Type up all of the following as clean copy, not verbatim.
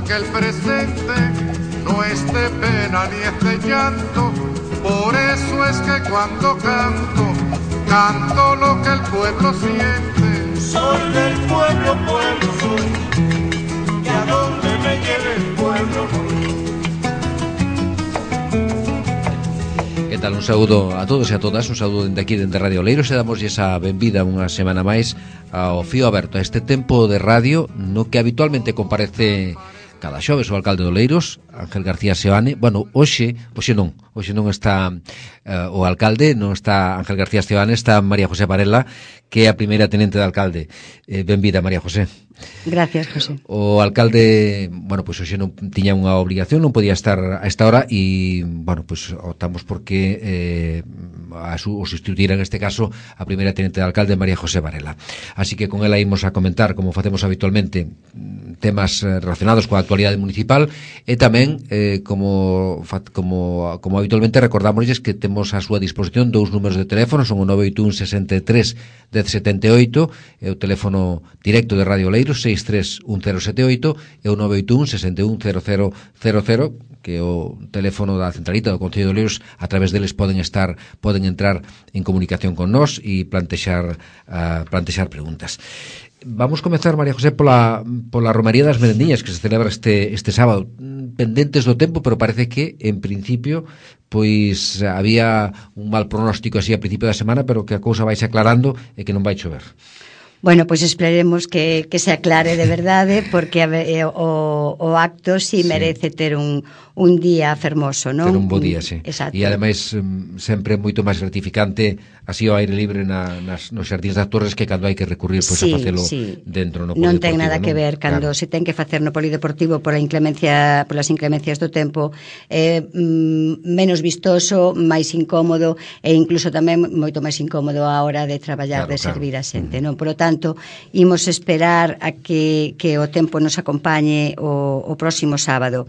que el presente no es de pena ni es de llanto. Por eso es que cuando canto, canto lo que el pueblo siente. Soy del pueblo, pueblo soy, y a donde me lleve el pueblo voy. Que tal? Un saúdo a todos e a todas, un saúdo dende aquí, dende Radio Oleiros, e damos esa benvida unha semana máis ao Fío Aberto, a este tempo de radio no que habitualmente comparece cada xoves o alcalde de Oleiros, Ángel García Seoane. Bueno, hoxe non está o alcalde, non está Ángel García Seoane, está María José Varela, que é a primeira tenente de alcalde. Benvida, María José. Gracias, José. O alcalde, bueno, pois hoxe non tiña unha obligación, non podía estar a esta hora e, bueno, pois optamos porque o sustituir en este caso a primeira tenente de alcalde, María José Varela. Así que con ela imos a comentar, como facemos habitualmente, temas relacionados coa actualidade municipal e tamén, como habitualmente, recordámosles que temos a súa disposición dous números de teléfono, son o 981 63 1078 e o teléfono directo de Radio Oleiros 6311078 e o 981 610000, que é o teléfono da centralita do Concello de Oleiros. A través deles poden entrar en comunicación con nós e plantexar preguntas. Vamos comezar, María José, pola Romaría das Merendiñas que se celebra este sábado. Pendentes do tempo, pero parece que, en principio, pois había un mal pronóstico así a principio da semana, pero que a cousa vai se aclarando e que non vai chover. Bueno, pois esperemos que se aclare de verdade, porque o acto si merece ter un día fermoso, non? Ter un bo día, sí. Exacto. E ademais sempre moito máis gratificante así ao aire libre nos xardíns das Torres que cando hai que recurrir pois a facelo dentro no polideportivo. Non ten nada que ver cando se ten que facer no polideportivo polas inclemencias do tempo, menos vistoso, máis incómodo e incluso tamén moito máis incómodo a hora de traballar, de servir a xente, non? Por lo tanto, imos esperar a que o tempo nos acompañe o próximo sábado.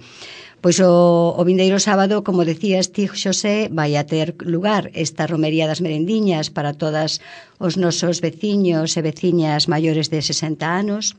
Pois o vindeiro sábado, como decías ti, Xosé, vai a ter lugar esta Romería das Merendiñas para todas os nosos veciños e veciñas maiores de 60 anos,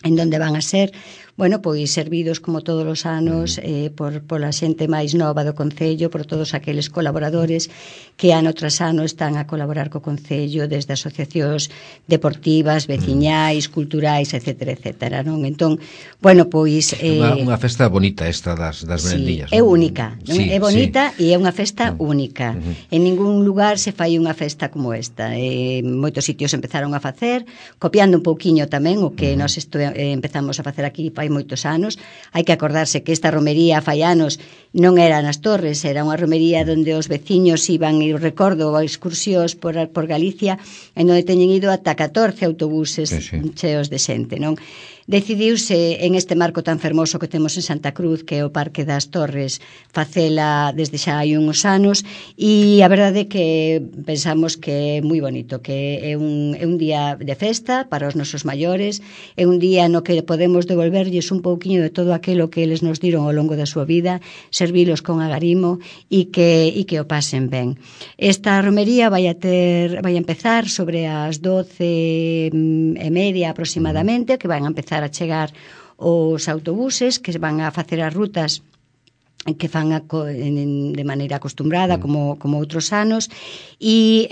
en donde van a ser, bueno, pois servidos como todos os anos por a xente máis nova do Concello, por todos aqueles colaboradores que ano tras ano están a colaborar co Concello desde asociacións deportivas, veciñais, culturais, etcétera, etcétera, non? Entón, bueno, pois unha festa bonita esta das Merendiñas. Sí, é única, non? É bonita e é unha festa única. En ningún lugar se fai unha festa como esta. Moitos sitios empezaron a facer, copiando un pouquiño tamén o que nós empezamos a facer aquí fai moitos anos. Hai que acordarse que esta romería fai anos non era nas Torres, era unha romería onde os veciños iban, e recordo, a excursións por Galicia, en onde teñen ido ata 14 autobuses cheos de xente, non? Decidiuse en este marco tan fermoso que temos en Santa Cruz, que é o Parque das Torres, facela desde xa hai uns anos, e a verdade é que pensamos que é moi bonito, que é un día de festa para os nosos maiores, é un día no que podemos devolverlles un pouquiño de todo aquilo que eles nos diron ao longo da súa vida, servilos con agarimo e que o pasen ben. Esta romería vai a empezar sobre as 12:30 aproximadamente, que van a empezar a chegar os autobuses que van a facer as rutas que fan de maneira acostumbrada como outros anos e,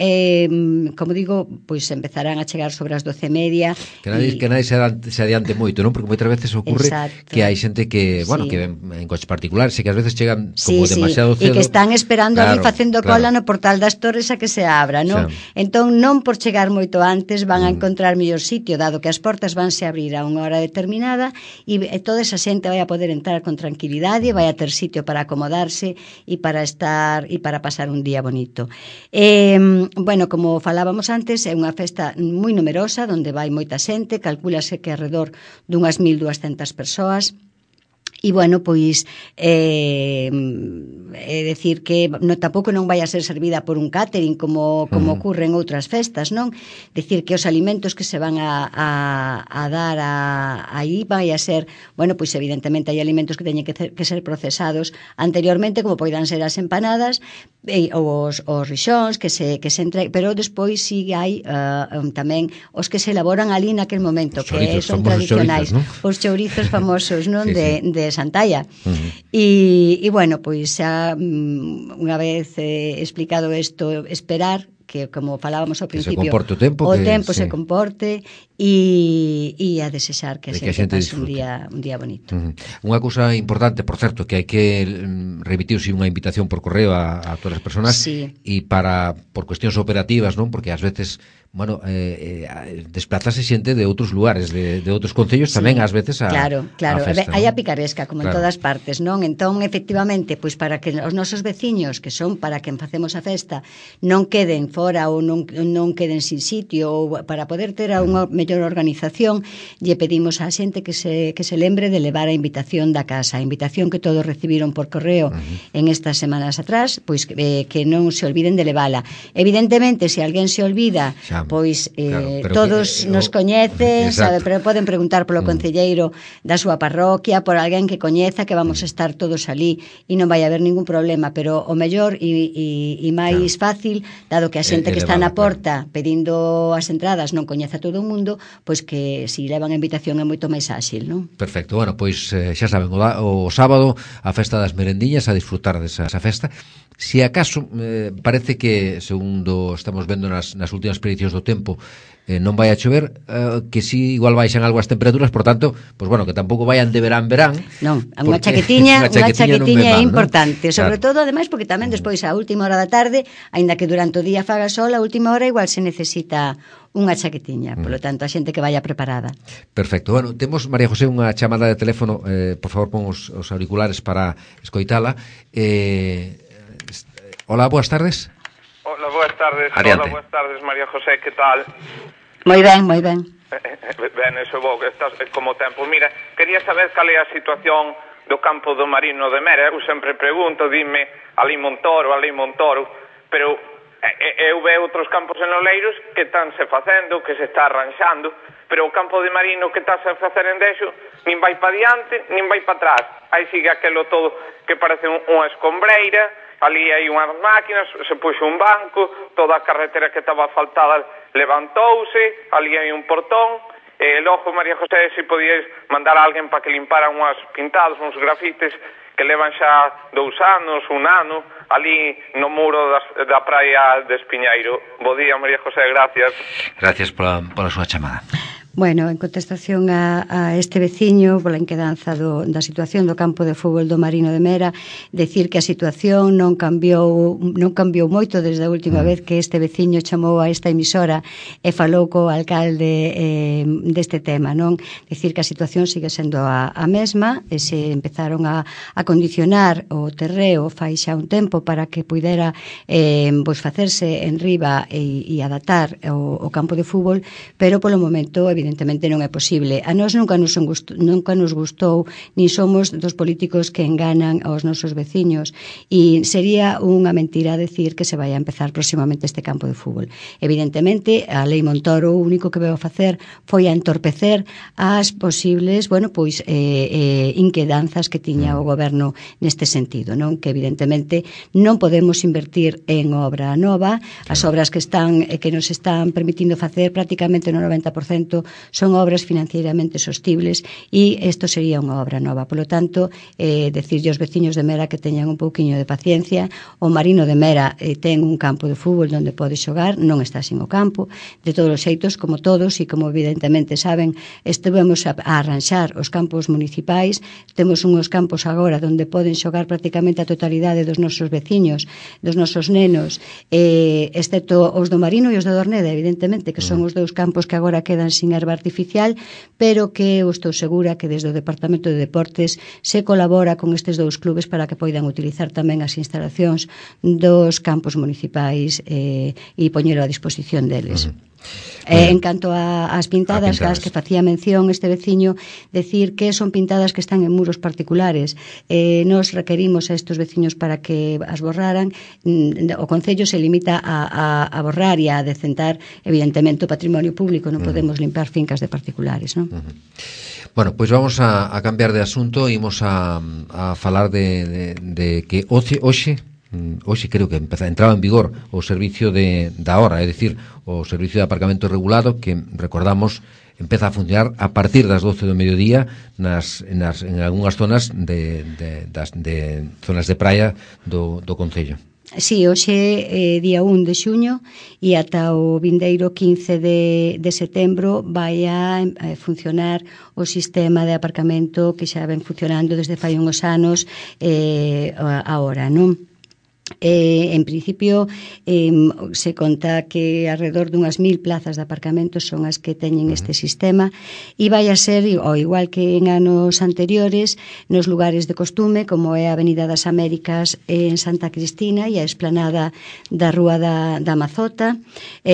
como digo, pois empezarán a chegar sobre as 12:30. Que nadie se adiante moito, non? Porque moitas veces ocurre que hai xente que, bueno, que ven en coches particulares e que ás veces chegan como demasiado cedo. E que están esperando ali facendo cola no portal das Torres a que se abra, non? Entón, non por chegar moito antes van a encontrar mellor sitio, dado que as portas vanse a abrir a unha hora determinada e toda esa xente vai a poder entrar con tranquilidade, vai a ter sitio para acomodarse e para estar e para pasar un día bonito. Bueno, como falábamos antes, é unha festa moi numerosa, onde vai moita xente, calcúlase que alrededor dunhas 1200 persoas. E, bueno, pois é decir que tampouco non vai a ser servida por un catering como ocurre en outras festas, non? Decir que os alimentos que se van a dar aí vai a ser, bueno, pois evidentemente hai alimentos que teñen que ser procesados anteriormente, como poidan ser as empanadas ou os rixóns que se entreguen, pero despois si hai tamén os que se elaboran ali naquel momento, que son tradicionais, os chourizos famosos, non? De Santalla. E bueno, pois xa unha vez explicado isto, esperar que, como falábamos ao principio, o tempo se comporte e a desexar que a xente pase un día bonito. Unha cousa importante, por certo, que hai que remitirse unha invitación por correo a todas as persoas e por cuestións operativas, non? Porque ás veces desplazase xente de outros lugares, de outros concellos tamén ás veces a festa. Hai a picaresca, como en todas partes, non? Entón, efectivamente, pois para que os nosos veciños, que son para quen facemos a festa, non queden fora ou non queden sin sitio, ou para poder ter unha mellor organización, lle pedimos á xente que se lembre de levar a invitación da casa, a invitación que todos recibiron por correo en estas semanas atrás, pois que non se olviden de levala. Evidentemente, se alguén se olvida, pois todos nos coñecen, sabe, pero poden preguntar polo concelleiro da súa parroquia, por alguén que coñeza, que vamos a estar todos ali e non vai haber ningún problema, pero o mellor e máis fácil, dado que a xente que está na porta pedindo as entradas non coñece a todo o mundo, pois que si levan a invitación é moito máis áxil, non? Perfecto, bueno, pois xa saben, o sábado a festa das merendiñas, a disfrutar desa festa. Si acaso, parece que, segundo estamos vendo nas últimas prediccións do tempo, non vai a chover, que si igual baixan algo as temperaturas, por tanto, pois bueno, que tampouco vayan de verán. Non, unha chaquetiña é importante, sobre todo, ademais, porque tamén despois a última hora da tarde, aínda que durante o día faga sol, a última hora igual se necesita unha chaquetiña, polo tanto, a xente que vaya preparada. Perfecto, bueno, temos, María José, unha chamada de teléfono, por favor, pon os auriculares para escoitala. Hola, boas tardes. Hola, boas tardes. Adiante. Hola, boas tardes, María José, que tal? Moi ben, moi ben. Ben, eso é bo, que estás como tempo. Mira, quería saber cal é a situación do campo do Marino de Mera. Eu sempre pregunto, dime, ali Montoro, pero eu veo outros campos en Oleiros que están se facendo, que se está arranxando, pero o campo de Marino que está a facer en Dexo nin vai para diante, nin vai para atrás. Aí sigue aquelo todo que parece unha escombreira, ali hai unhas máquinas, se puxo un banco, toda a carretera que estaba asfaltada levantouse, ali hai un portón, e logo, María José, se podíais mandar a alguén para que limpara unhas pintados, uns grafites que levan xa 2 anos, 1 ano, ali no muro da praia de Espiñeiro. Bo día, María José, gracias. Gracias pola súa chamada. Bueno, en contestación a este veciño pola inquedanza da situación do campo de fútbol do Marino de Mera, decir que a situación non cambiou moito desde a última vez que este veciño chamou a esta emisora e falou co alcalde deste tema, non? Decir que a situación sigue sendo a mesma, e se empezaron a condicionar o terreo fai xa un tempo para que puidera facerse en riba e adaptar o campo de fútbol, pero polo momento evidentemente non é posible. A nós nunca nos gustou, nin somos dos políticos que enganan aos nosos veciños, e sería unha mentira decir que se vai a empezar próximamente este campo de fútbol. Evidentemente, a Lei Montoro o único que veu a facer foi a entorpecer as posibles, inquedanzas que tiña o goberno neste sentido, non? Que evidentemente non podemos invertir en obra nova, as obras que nos están permitindo facer prácticamente no 90% son obras financieramente sostibles, e isto sería unha obra nova. Polo tanto, decirlle aos veciños de Mera que teñan un pouquiño de paciencia. O Marino de Mera ten un campo de fútbol onde pode xogar, non está sin o campo. De todos os xeitos, como todos, e como evidentemente saben, estivemos a arranxar os campos municipais. Temos unhos campos agora onde poden xogar prácticamente a totalidade dos nosos veciños, dos nosos nenos, excepto os do Marino e os do Dorneda, evidentemente, que son os 2 campos que agora quedan sin erva artificial, pero que eu estou segura que desde o Departamento de Deportes se colabora con estes 2 clubes para que poidan utilizar tamén as instalacións dos campos municipais e poñelo a disposición deles. En canto ás pintadas, as que facía mención este veciño, decir que son pintadas que están en muros particulares. Nos requerimos a estes veciños para que as borraran. O Concello se limita a borrar e a decentar, evidentemente, o patrimonio público. Non podemos limpar fincas de particulares, non? Bueno, pois vamos a cambiar de asunto e imos a falar de que hoxe creo que entraba en vigor o servicio da hora, é dicir, o servicio de aparcamento regulado que, recordamos, empeza a funcionar a partir das 12 do mediodía en algunhas zonas de zonas de praia do Concello. Sí, hoxe día 1 de xuño e ata o vindeiro 15 de setembro vai a funcionar o sistema de aparcamento que xa ven funcionando desde fai uns anos agora, non? En principio se conta que alrededor dunhas 1000 plazas de aparcamento son as que teñen este sistema e vai a ser, ao igual que en anos anteriores, nos lugares de costume, como é a Avenida das Américas en Santa Cristina e a esplanada da Rúa da Mazota,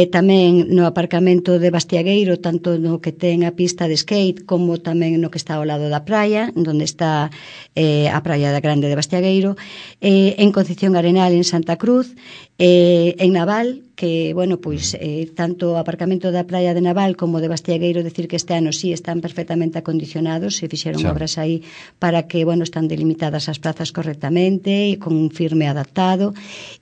tamén no aparcamento de Bastiagueiro, tanto no que ten a pista de skate como tamén no que está ao lado da praia, onde está a praia da Grande de Bastiagueiro, en Concepción Arenal en Santa Cruz, en Naval, que, bueno, pois tanto o aparcamento da praia de Naval como de Bastiagueiro, decir que este ano sí están perfectamente acondicionados, se fixeron obras aí para que, bueno, están delimitadas as plazas correctamente e con un firme adaptado,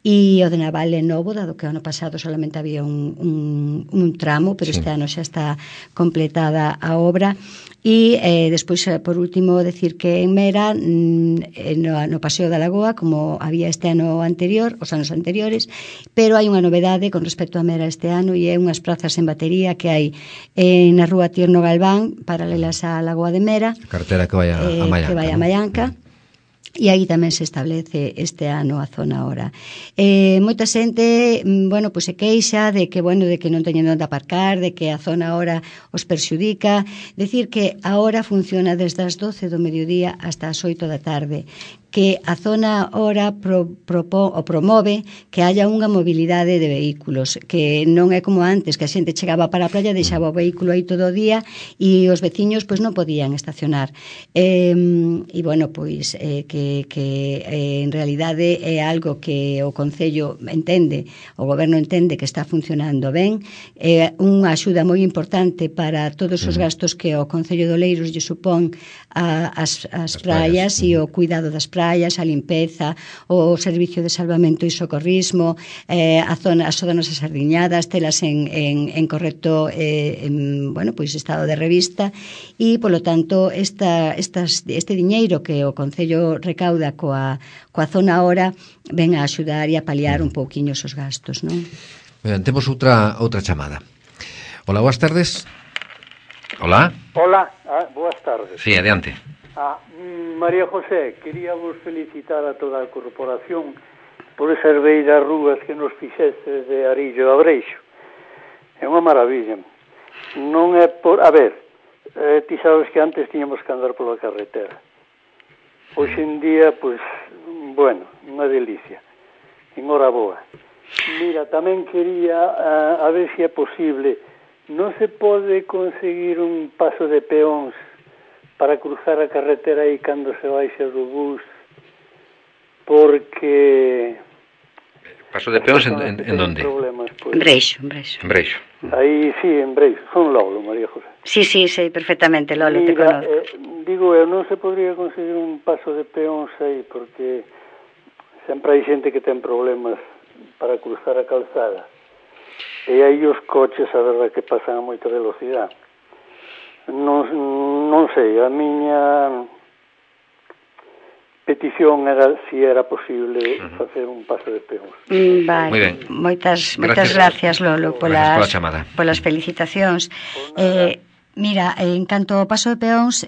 e o de Naval é novo, dado que o ano pasado solamente había un tramo, pero este ano xa está completada a obra. E despois, por último, decir que en Mera, no Paseo da Lagoa, como había este ano anterior, os anos anteriores, pero hai unha novedade con respecto a Mera este ano e é unhas prazas en batería que hai na Rúa Tierno Galván, paralelas á Lagoa de Mera, carretera que vai a Mallanca, que vai a Mallanca. E aí tamén se establece este ano a zona hora. Moita xente, bueno, pois se queixa de que, bueno, de que non teñen onde aparcar, de que a zona hora os perxudica. Decir que a hora funciona desde as 12 do mediodía hasta as 8 da tarde, que a zona hora promove que haya unha mobilidade de vehículos, que non é como antes, que a xente chegaba para a praia, deixaba o vehículo aí todo o día e os veciños pois non podían estacionar. E bueno, pois que en realidade é algo que o Concello entende, o Goberno entende que está funcionando ben, é unha axuda moi importante para todos os gastos que o Concello de Oleiros lle supón as praias e o cuidado das praias, a limpeza, o servicio de salvamento e socorrismo, as zonas asardiñadas, telas en correcto bueno, pois estado de revista e, polo tanto, este diñeiro que o Concello recauda coa zona hora ven a axudar e a paliar un pouquiño esos gastos, non? Ben, temos outra chamada. Hola, boas tardes. Hola. Hola, boas tardes. Sí, adiante. María José, quería vos felicitar a toda a corporación por esas beiras rúas que nos fixestes de Arillo a Breixo. É unha maravilla. Non é por... A ver, ti sabes que antes tiñamos que andar pola carretera. Hoxe en día, pois, bueno, unha delicia. En hora boa. Mira, tamén quería, a ver se é posible, non se pode conseguir un paso de peóns para cruzar a carretera aí cando se baixa do bus, porque... Paso de peóns en donde? En Breixo. En Breixo. Aí, sí, en Breixo. Son Lolo, María José. Sí, sei perfectamente, Lolo, te conozco. Digo, non se podría conseguir un paso de peóns aí, porque sempre hai xente que ten problemas para cruzar a calzada. E aí os coches, a verdade, que pasan a moita velocidade. Non sei, a miña petición era si era posible facer un paso de peóns. Vale, moi ben. Moitas gracias, Lolo, polas felicitacións. Mira, en canto ao paso de peóns,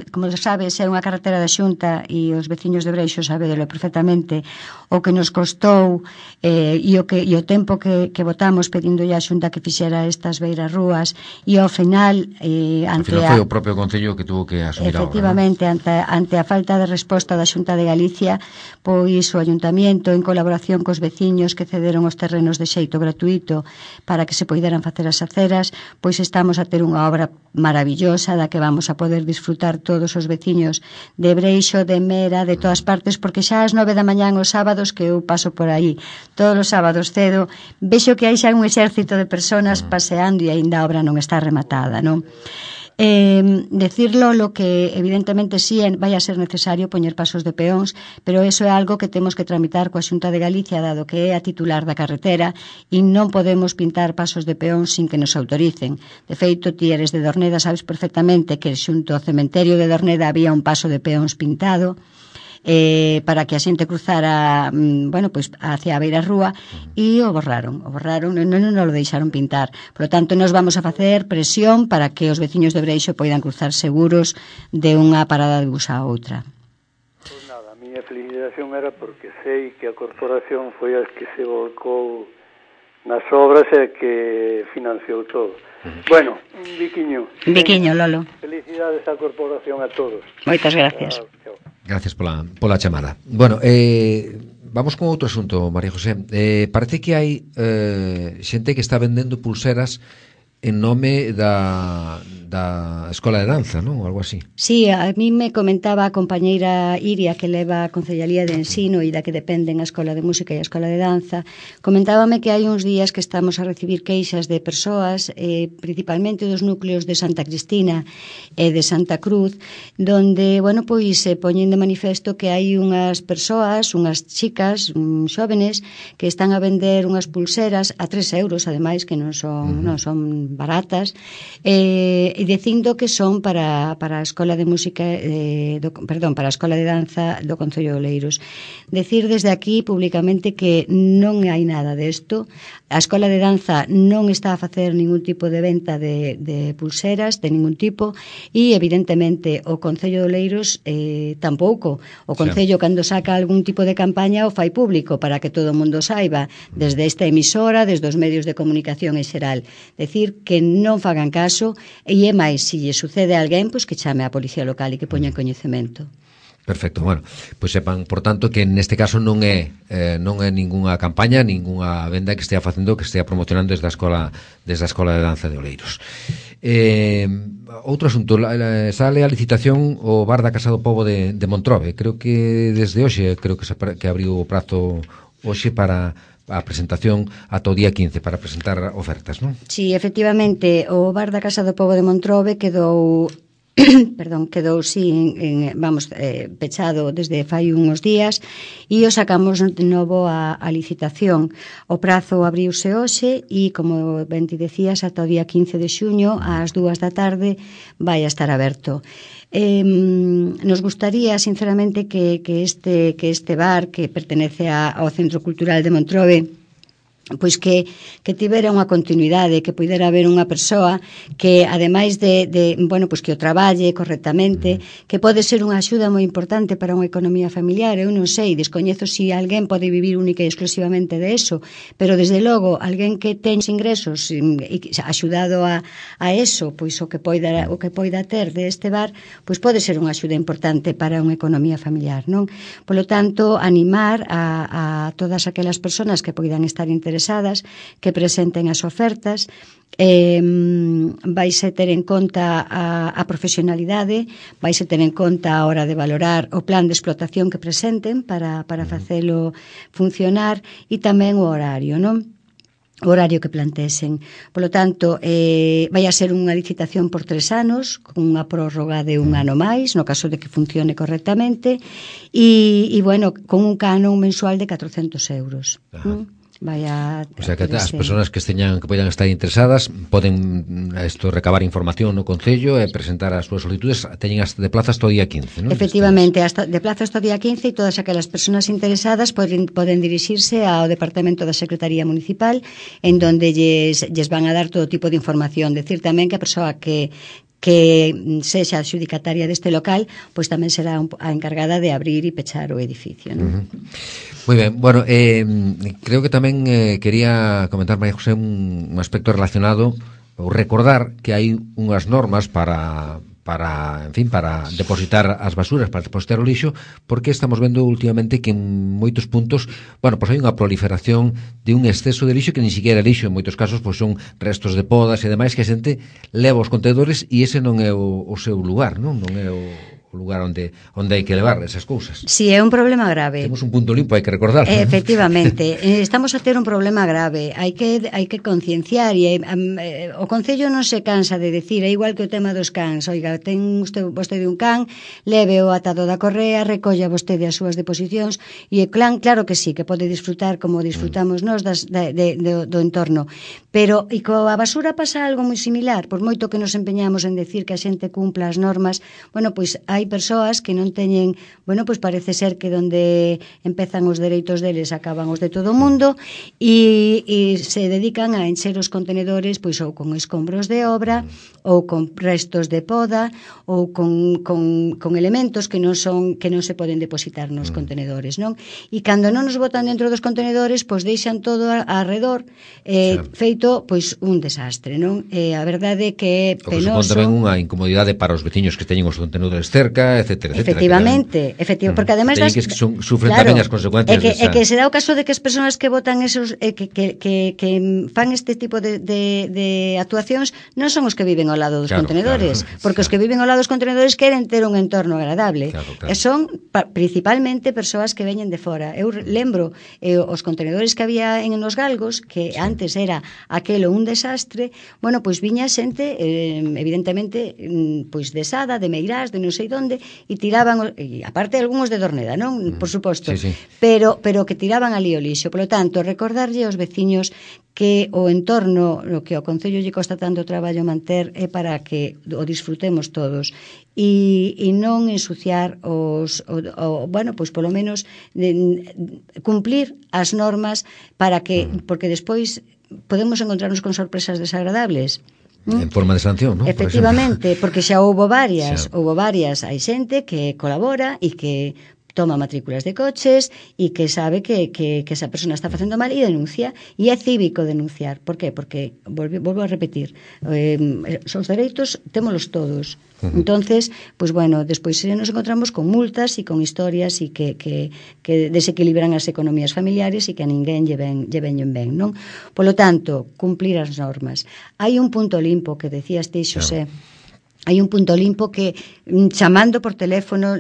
como sabes, é unha carretera da Xunta e os veciños de Breixo sabedelo perfectamente o que nos costou e o tempo que votamos pedindolle á Xunta que fixera estas beiras rúas e ao final foi o propio Concello que tuvo que asumir a obra. Efectivamente, ante a falta de resposta da Xunta de Galicia, pois o Ayuntamiento, en colaboración cos veciños que cederon os terrenos de xeito gratuito para que se poideran facer as aceras, pois estamos a ter unha obra maravillosa da que vamos a poder disfrutar todos os veciños de Breixo, de Mera, de todas partes, porque xa ás 9 da mañán os sábados que eu paso por aí todos os sábados cedo, vexo que hai xa un exército de personas paseando e aínda a obra non está rematada, non? Decirlo lo que evidentemente sí vai a ser necesario poñer pasos de peóns, pero eso é algo que temos que tramitar coa Xunta de Galicia, dado que é a titular da carretera, e non podemos pintar pasos de peóns sin que nos autoricen. De feito, ti eres de Dorneda, sabes perfectamente que xunto ao cementerio de Dorneda había un paso de peóns pintado para que a xente cruzara pois hacia a beira rúa, e o borraron, non o deixaron pintar. Por lo tanto, nos vamos a facer presión para que os veciños de Breixo poidan cruzar seguros de unha parada de bus a outra. Pois nada, a miña felicitación era porque sei que a corporación foi a que se volcou nas obras e que financiou todo. Bueno, un biquiño, Lolo. Felicidades á corporación a todos. Moitas gracias. Chao. Gracias pola chamada. Bueno, vamos con outro asunto, María José. Parece que hai xente que está vendendo pulseras en nome da Escola de Danza, non? Ou algo así. Sí, a mí me comentaba a compañeira Iria, que leva a Concellería de Ensino e da que dependen a Escola de Música e a Escola de Danza, comentábame que hai uns días que estamos a recibir queixas de persoas, principalmente dos núcleos de Santa Cristina e de Santa Cruz, donde, pois se poñen de manifesto que hai unhas persoas, unhas chicas, xóvenes, que están a vender unhas pulseras a 3 euros, ademais, que non son baratas, e dicindo que son para a Escola de Música para a Escola de Danza do Concello de Oleiros. Decir desde aquí públicamente que non hai nada desto. A Escola de Danza non está a facer ningún tipo de venta de pulseras de ningún tipo, e evidentemente o Concello de Oleiros tampouco. O Concello, cando saca algún tipo de campaña, o fai público para que todo o mundo saiba, desde esta emisora, desde os medios de comunicación en xeral. Decir que non fagan caso, e é máis, se lle sucede a alguén, pois que chame a policía local e que poña en coñecemento. Perfecto, bueno, pois sepan, por tanto, que neste caso non é ningunha campaña, ningunha venda que estea facendo, que estea promocionando desde a Escola de Danza de Oleiros. Outro asunto, sale a licitación o Bar da Casa do Pobo de Montrobe. Creo que desde hoxe, que abriu o prazo hoxe para a presentación ata o día 15 para presentar ofertas, non? Sí, efectivamente, o Bar da Casa do Pobo de Montrobe quedou pechado desde fai uns días, e o sacamos de novo a licitación. O prazo abriuse hoxe e, como ben ti decías, ata o día 15 de xuño ás 2 da tarde vai a estar aberto. Nos gustaría sinceramente que este bar, que pertenece ao Centro Cultural de Montrobe, pois que tivera unha continuidade, que puidera haber unha persoa que, ademais pois que o traballe correctamente, que pode ser unha axuda moi importante para unha economía familiar. Eu non sei, descoñezo se alguén pode vivir única e exclusivamente de eso, pero desde logo, alguén que ten ingresos e axudado a eso, pois o que poida ter de este bar, pois pode ser unha axuda importante para unha economía familiar, non? Polo tanto, animar a todas aquelas persoas que poidan estar interesadas que presenten as ofertas. Vaise ter en conta a profesionalidade, vaise ter en conta a hora de valorar o plan de explotación que presenten para facelo funcionar, e tamén o horario, non? O horario que plantesen. Por lo tanto, vai a ser unha licitación por 3 anos, con unha prórroga de 1 ano máis, no caso de que funcione correctamente, e con un canon mensual de 400 euros. O sea, que as persoas que poidan estar interesadas poden recabar información no Concello e presentar as súas solicitudes. Teñen de plaza hasta o día 15, non? Efectivamente, de plaza hasta o día 15, e todas aquelas persoas interesadas poden dirixirse ao Departamento da Secretaría Municipal, en donde lles van a dar todo tipo de información. Decir tamén que a persoa que que sexa adxudicataria deste local, pois tamén será a encargada de abrir e pechar o edificio, non? Moi ben, bueno, creo que tamén quería comentar, María José, un aspecto relacionado ou recordar que hai unhas normas para depositar as basuras, para depositar o lixo, porque estamos vendo últimamente que en moitos puntos, bueno, pois hai unha proliferación de un exceso de lixo que ni siquiera é lixo, en moitos casos pois son restos de podas e demais que a xente leva os contenedores e ese non é o seu lugar, non é o lugar onde hai que levar esas cousas. Si, é un problema grave. Temos un punto limpo, hai que recordarlo. Efectivamente, estamos a ter un problema grave. Hai que concienciar e o Concello non se cansa de decir, é igual que o tema dos cans. Oiga, ten vostede un can, leve o atado da correa, recolla vostede as súas deposicións e o clan, claro que sí, que pode disfrutar como disfrutamos nós do entorno. Pero, e coa basura pasa algo moi similar, por moito que nos empeñamos en decir que a xente cumpla as normas, bueno, pois hai persoas que non teñen, bueno, pois parece ser que onde empezan os dereitos deles acaban os de todo o mundo e se dedican a encher os contenedores pois ou con escombros de obra ou con restos de poda ou con elementos que non se poden depositar nos contenedores, non? E cando non nos botan dentro dos contenedores, pois deixan todo arredor feito pois un desastre, non? A verdade é que é penoso. O que supón tamén unha incomodidade para os veciños que teñen os contenedores cerca, etcétera, efectivamente, porque ademais que sufren tamén as consecuencias que se dá o caso de que as persoas que botan esos que fan este tipo de actuacións non son os que viven ao lado dos contenedores, porque os que viven ao lado dos contenedores queren ter un entorno agradable, e son principalmente persoas que veñen de fora. Eu lembro os contenedores que había en Os Galgos, que antes era aquelo un desastre, bueno, pois viña xente evidentemente pois de Sada, de Meirás, de non sei onde, e tiraban, e aparte algúns de Dorneda, non? Por suposto, sí. pero que tiraban ali o lixo. Por lo tanto, recordarlle aos veciños que o entorno, o que ao Concello lle costa tanto traballo manter, é para que o disfrutemos todos e non ensuciar bueno, pois polo menos cumplir as normas para que, porque despois podemos encontrarnos con sorpresas desagradables. En forma de sanción, non? Efectivamente, porque xa houbo varias, hai xente que colabora e que toma matrículas de coches e que sabe que esa persona está facendo mal e denuncia, e é cívico denunciar. Por qué? Porque, volvo a repetir, os dereitos témolos todos. Entonces, pues bueno, despois nos encontramos con multas e con historias e que desequilibran as economías familiares e que a ninguén lle veñen ben, non? Polo tanto, cumplir as normas. Hai un punto limpo que decías ti, Xosé. Hai un punto limpo que chamando por teléfono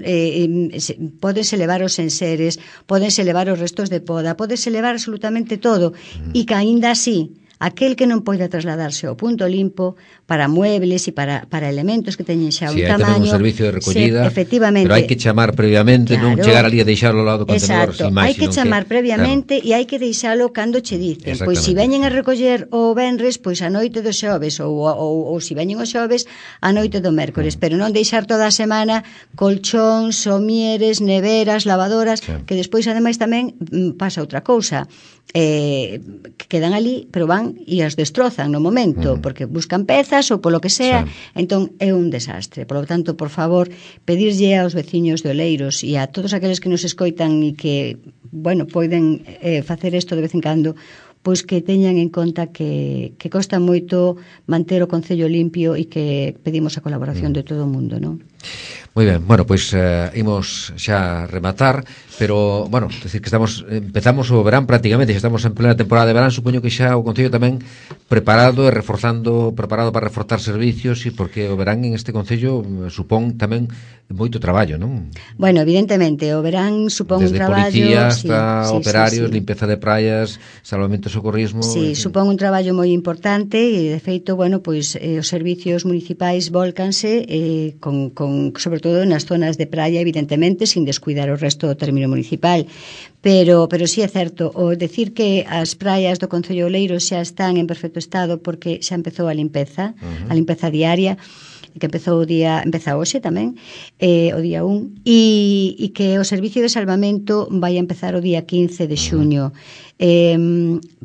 pódense levar os enseres, pódense levar os restos de poda, pódense levar absolutamente todo e que aínda así aquel que non poida trasladarse ao punto limpo para muebles e para elementos que teñen xa un tamaño. Hai un servicio de recollida, efectivamente, pero hai que chamar previamente, non chegar ali a deixalo ao lado do contenedor. Exacto, hai que chamar previamente e hai que deixalo cando che dicen. Pois se veñen a recoller o venres, pois a noite do xoves ou se veñen o xoves a noite do mércores, pero non deixar toda a semana colchóns, somieres, neveras, lavadoras, que despois ademais tamén pasa outra cousa. Que quedan ali, pero van e as destrozan no momento, porque buscan pezas ou polo que sea, entón é un desastre. Por lo tanto, por favor, pedirlle aos veciños de Oleiros e a todos aqueles que nos escoitan e que, bueno, poden facer isto de vez en cando, pois que teñan en conta que costa moito manter o Concello limpio e que pedimos a colaboración de todo o mundo, non? Moi ben, bueno, pois imos xa rematar, pero, bueno, decir que empezamos o verán prácticamente, xa estamos en plena temporada de verán, supoño que xa o Concello tamén preparado para reforzar servicios, e porque o verán en este Concello supón tamén moito traballo, non? Bueno, evidentemente, o verán supón un traballo... Desde policía hasta operarios, limpeza de praias, salvamento e socorrismo... Sí, supón un traballo moi importante e, de feito, bueno, pois os servicios municipais volcanse sobre todo nas zonas de praia, evidentemente, sin descuidar o resto do término municipal. Pero sí é certo, o decir que as praias do Concello de Oleiros xa están en perfecto estado porque xa empezou a limpeza diaria, que empeza hoxe tamén, o día 1, e que o servicio de salvamento vai a empezar o día 15 de xuño.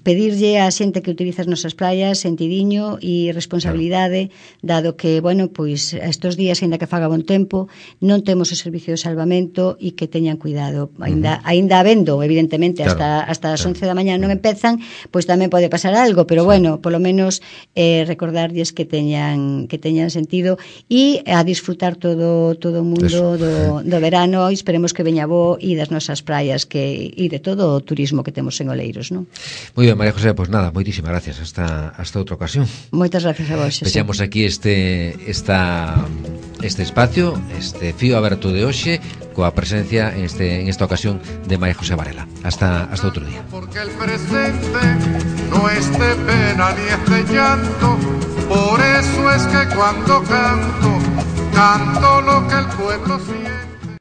Pedirlle á xente que utiliza as nosas praias sentidiño e responsabilidade, dado que, bueno, pois estos días, ainda que faga bon tempo, non temos o servicio de salvamento e que teñan cuidado. Ainda habendo, evidentemente, hasta as 11 da mañá non empezan, pois tamén pode pasar algo, pero bueno, polo menos recordarlles que teñan sentido e a disfrutar todo o mundo do verano, e esperemos que veña bo e das nosas praias e de todo o turismo que temos en Oleiros, non? Moi ben, María José, pois nada, moitísimas gracias, hasta outra ocasión. Moitas gracias a vos. Pechamos aquí este espacio, este fío aberto de hoxe, coa presencia en esta ocasión de María José Varela. Hasta outro día. Porque el presente no es de pena ni es de llanto, por eso es que cuando canto lo que el pueblo siente.